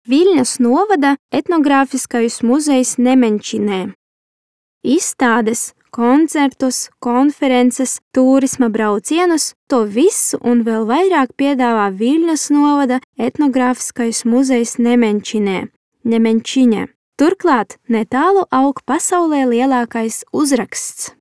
Viļņas novada etnogrāfiskais muzejs Nemenčinē. Izstādes, koncertus, konferences, turisma braucienus, to visu un vēl vairāk piedāvā Viļņas novada etnogrāfiskais muzejs Nemenčiņē. Turklāt netālu aug pasaulē lielākais uzraksts.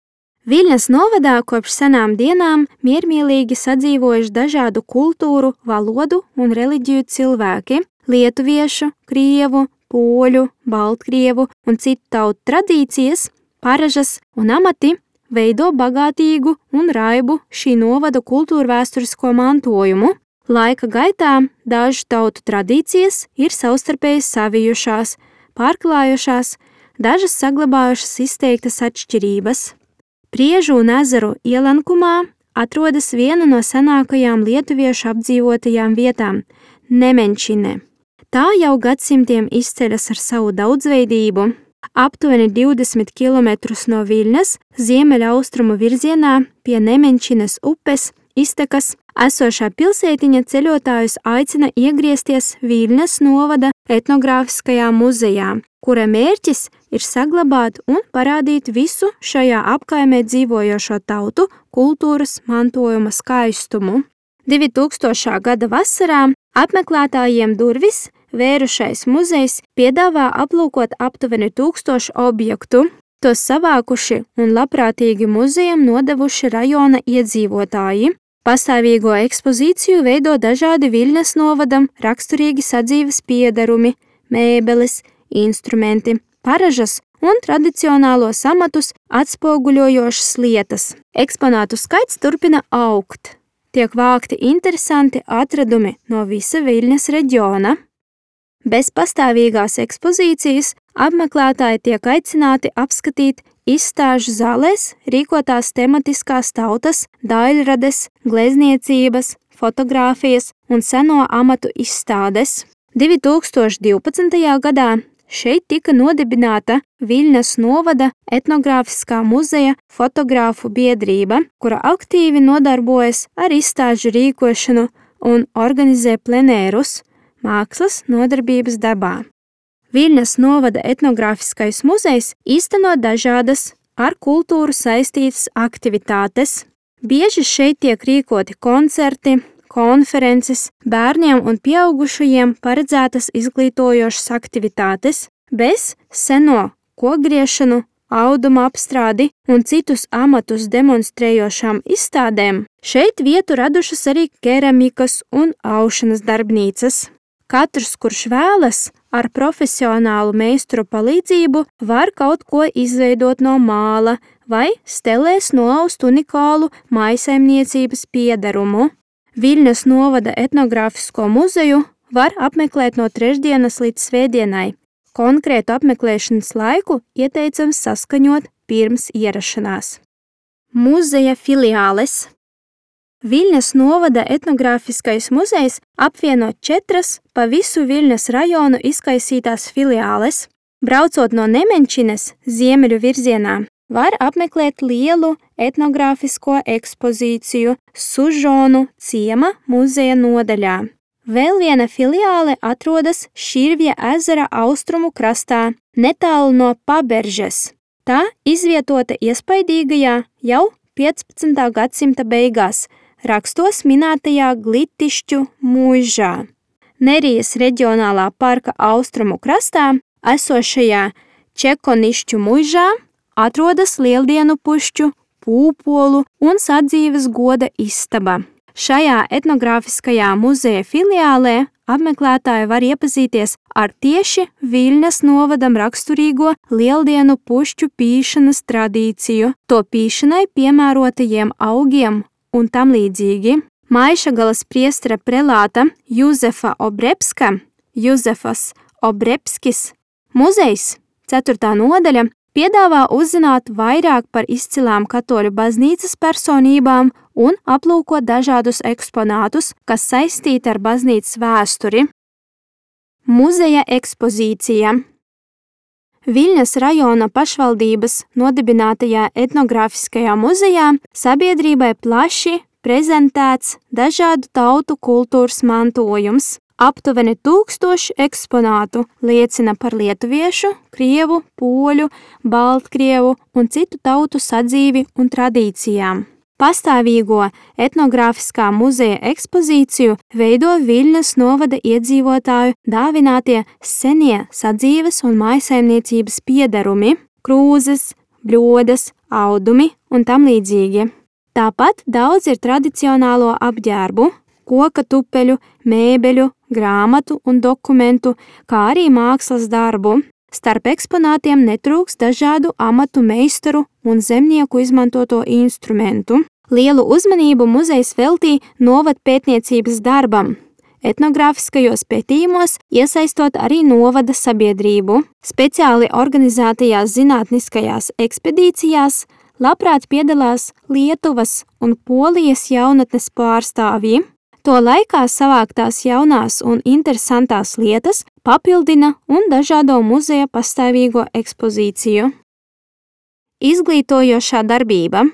Viļņas novadā kopš senām dienām miermīlīgi sadzīvojuši dažādu kultūru, valodu un reliģiju cilvēki – lietuviešu, krievu, poļu, baltkrievu un citu tautu tradīcijas, paražas un amati veido bagātīgu un raibu šī novada kultūrvēsturisko mantojumu. Laika gaitā dažu tautu tradīcijas ir savstarpēji savijušās, pārklājušās, dažas saglabājušas izteiktas atšķirības. Priežu un ezeru ielenkumā atrodas viena no senākajām lietuviešu apdzīvotajām vietām – Nemenčine. Tā jau gadsimtiem izceļas ar savu daudzveidību. Aptuveni 20 km no Viļņas ziemeļaustrumu virzienā pie Nemenčines upes iztekas esošā pilsētiņa ceļotājus aicina iegriezties Viļņas novada etnogrāfiskajā muzejā, kura mērķis ir saglabāt un parādīt visu šajā apkaimē dzīvojošo tautu kultūras mantojuma skaistumu. 2000. gada vasarā apmeklētājiem durvis vērušais muzejs piedāvā aplūkot aptuveni 1000 objektu, tos savākuši un labprātīgi muzejam nodevuši rajona iedzīvotāji. Pastāvīgo ekspozīciju veido dažādi Viļņas novadam raksturīgi sadzīves piedarumi, mēbeles, instrumenti, paražas un tradicionālos amatus atspoguļojošas lietas. Eksponātu skaits turpina augt. Tiek vākti interesanti atradumi no visa Viļņas reģiona. Bez pastāvīgās ekspozīcijas apmeklētāji tiek aicināti apskatīt izstāžu zālēs rīkotās tematiskās tautas, daļrades, glezniecības, fotogrāfijas un seno amatu izstādes. 2012. gadā šeit tika nodibināta Viļņas novada etnogrāfiskā muzeja fotogrāfu biedrība, kura aktīvi nodarbojas ar izstāžu rīkošanu un organizē plenērus, mākslas nodarbības dabā. Viļņas novada etnogrāfiskais muzejs īsteno dažādas ar kultūru saistītas aktivitātes. Bieži šeit tiek rīkoti koncerti, konferences, bērniem un pieaugušajiem paredzētas izglītojošas aktivitātes, bez seno kokgriešanu, auduma apstrādi un citus amatus demonstrējošām izstādēm. Šeit vietu radušas arī keramikas un aušanas darbnīcas. Katrs, kurš vēlas, ar profesionālu meistaru palīdzību var kaut ko izveidot no māla vai stelēs noaust unikālu mājsaimniecības piedarumu. Viļņas novada etnogrāfisko muzeju var apmeklēt no trešdienas līdz svētdienai. Konkrētu apmeklēšanas laiku ieteicams saskaņot pirms ierašanās. Muzeja filiāles. Viļņas novada etnogrāfiskais muzejs apvieno 4 pa visu Viļņas rajonu izkaisītās filiāles. Braucot no Nemenčines ziemeļu virzienā, var apmeklēt lielu etnogrāfisko ekspozīciju Sužonu ciema muzeja nodaļā. Vēl viena filiāle atrodas Širvja ezera austrumu krastā, netālu no Paberžes. Tā izvietota iespaidīgajā jau 15. gadsimta beigās, rakstos minētajā Glitišķu muižā. Nerijas reģionālā parka austrumu krastā esošajā Čekonišķu muižā atrodas Lieldienu pušķu, pūpolu un sadzīves goda istaba. Šajā etnogrāfiskajā muzeja filiālē apmeklētāji var iepazīties ar tieši Viļņas novadam raksturīgo Lieldienu pušķu pīšanas tradīciju, to pīšanai piemērotajiem augiem un tam līdzīgi. Maišagalas priestera prelāta Juzefa Obrebska, Juzefas Obrebskis muzejs, 4. nodaļa, piedāvā uzzināt vairāk par izcilām katoļu baznīcas personībām un aplūkot dažādus eksponātus, kas saistīti ar baznīcas vēsturi. Muzeja ekspozīcija. Viļņas rajona pašvaldības nodibinātajā etnogrāfiskajā muzejā sabiedrībai plaši prezentēts dažādu tautu kultūras mantojums, Aptuveni 1000 eksponātu liecina par lietuviešu, krievu, poļu, baltkrievu un citu tautu sadzīvi un tradīcijām. Pastāvīgo etnogrāfiskā muzeja ekspozīciju veido Viļņas novada iedzīvotāju dāvinātie senie sadzīves un mājsaimniecības piederumi, krūzes, bļodas, audumi un tam līdzīgi. Tāpat daudz ir tradicionālo apģērbu, koka tupeļu, mēbeļu, grāmatu un dokumentu, kā arī mākslas darbu. Starp eksponātiem netrūks dažādu amatu meistaru un zemnieku izmantoto instrumentu. Lielu uzmanību muzejs veltīja novadpētniecības darbam, etnogrāfiskajos pētījumos iesaistot arī novada sabiedrību. Speciāli organizētajās zinātniskajās ekspedīcijās labprāt piedalās Lietuvas un Polijas jaunatnes pārstāvji. To laikā savāktās jaunās un interesantās lietas papildina un dažādo muzeja pastāvīgo ekspozīciju. Izglītojošā darbība.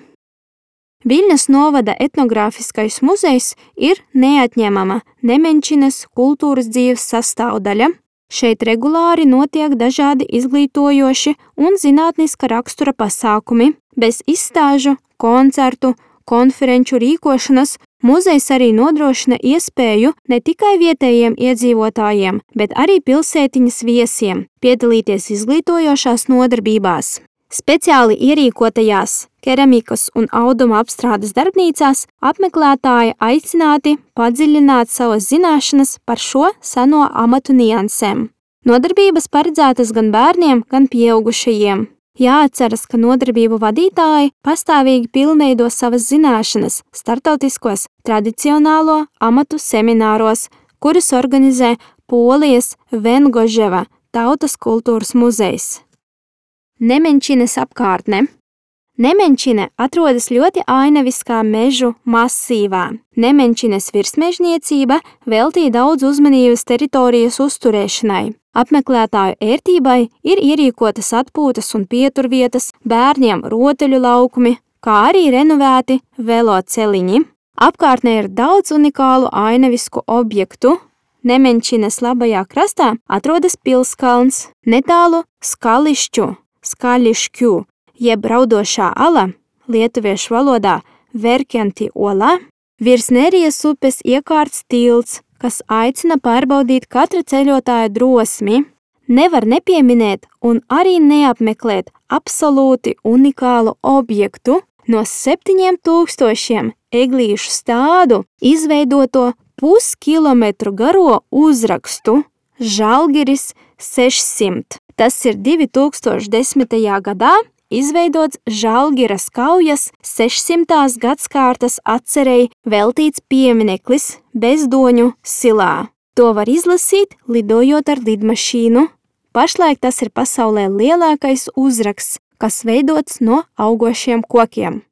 Viļņas novada etnogrāfiskais muzejs ir neatņemama Nemenčinas kultūras dzīves sastāvdaļa. Šeit regulāri notiek dažādi izglītojoši un zinātniska rakstura pasākumi. Bez izstāžu, koncertu, konferenču rīkošanas muzejs arī nodrošina iespēju ne tikai vietējiem iedzīvotājiem, bet arī pilsētiņas viesiem piedalīties izglītojošās nodarbībās. Speciāli ierīkotajās keramikas un auduma apstrādes darbnīcās apmeklētāji aicināti padziļināt savas zināšanas par šo seno amatu niansēm. Nodarbības paredzētas gan bērniem, gan pieaugušajiem. Jāatceras, ka nodarbību vadītāji pastāvīgi pilnveido savas zināšanas startautiskos tradicionālo amatu semināros, kurus organizē Polijas Vengoževa tautas kultūras muzejs. Nemenčinas apkārtne. Nemenčina atrodas ļoti ainaviskā mežu masīvā. Nemenčinas virsmežniecība veltīja daudz uzmanības teritorijas uzturēšanai. Apmeklētāju ērtībai ir ierīkotas atpūtas un pieturvietas, bērniem rotaļu laukumi, kā arī renovēti veloceliņi. Apkārtnē ir daudz unikālu ainavisku objektu. Nemenčinas labajā krastā atrodas pilskalns, netālu Skaļišķu, jeb raudošā ala, lietuviešu valodā Verkjanti ola, virs Nerijas upes iekārts tilts, kas aicina pārbaudīt katra ceļotāja drosmi. Nevar nepieminēt un arī neapmeklēt absolūti unikālu objektu no 7000 eglīšu stādu izveidoto puskilometru garo uzrakstu Žalgiris 600. Tas ir 2010. gadā izveidots Žalgiras kaujas 600. gadskārtas atcerei veltīts piemineklis Bezdoņu silā. To var izlasīt, lidojot ar lidmašīnu. Pašlaik tas ir pasaulē lielākais uzraksts, kas veidots no augošiem kokiem.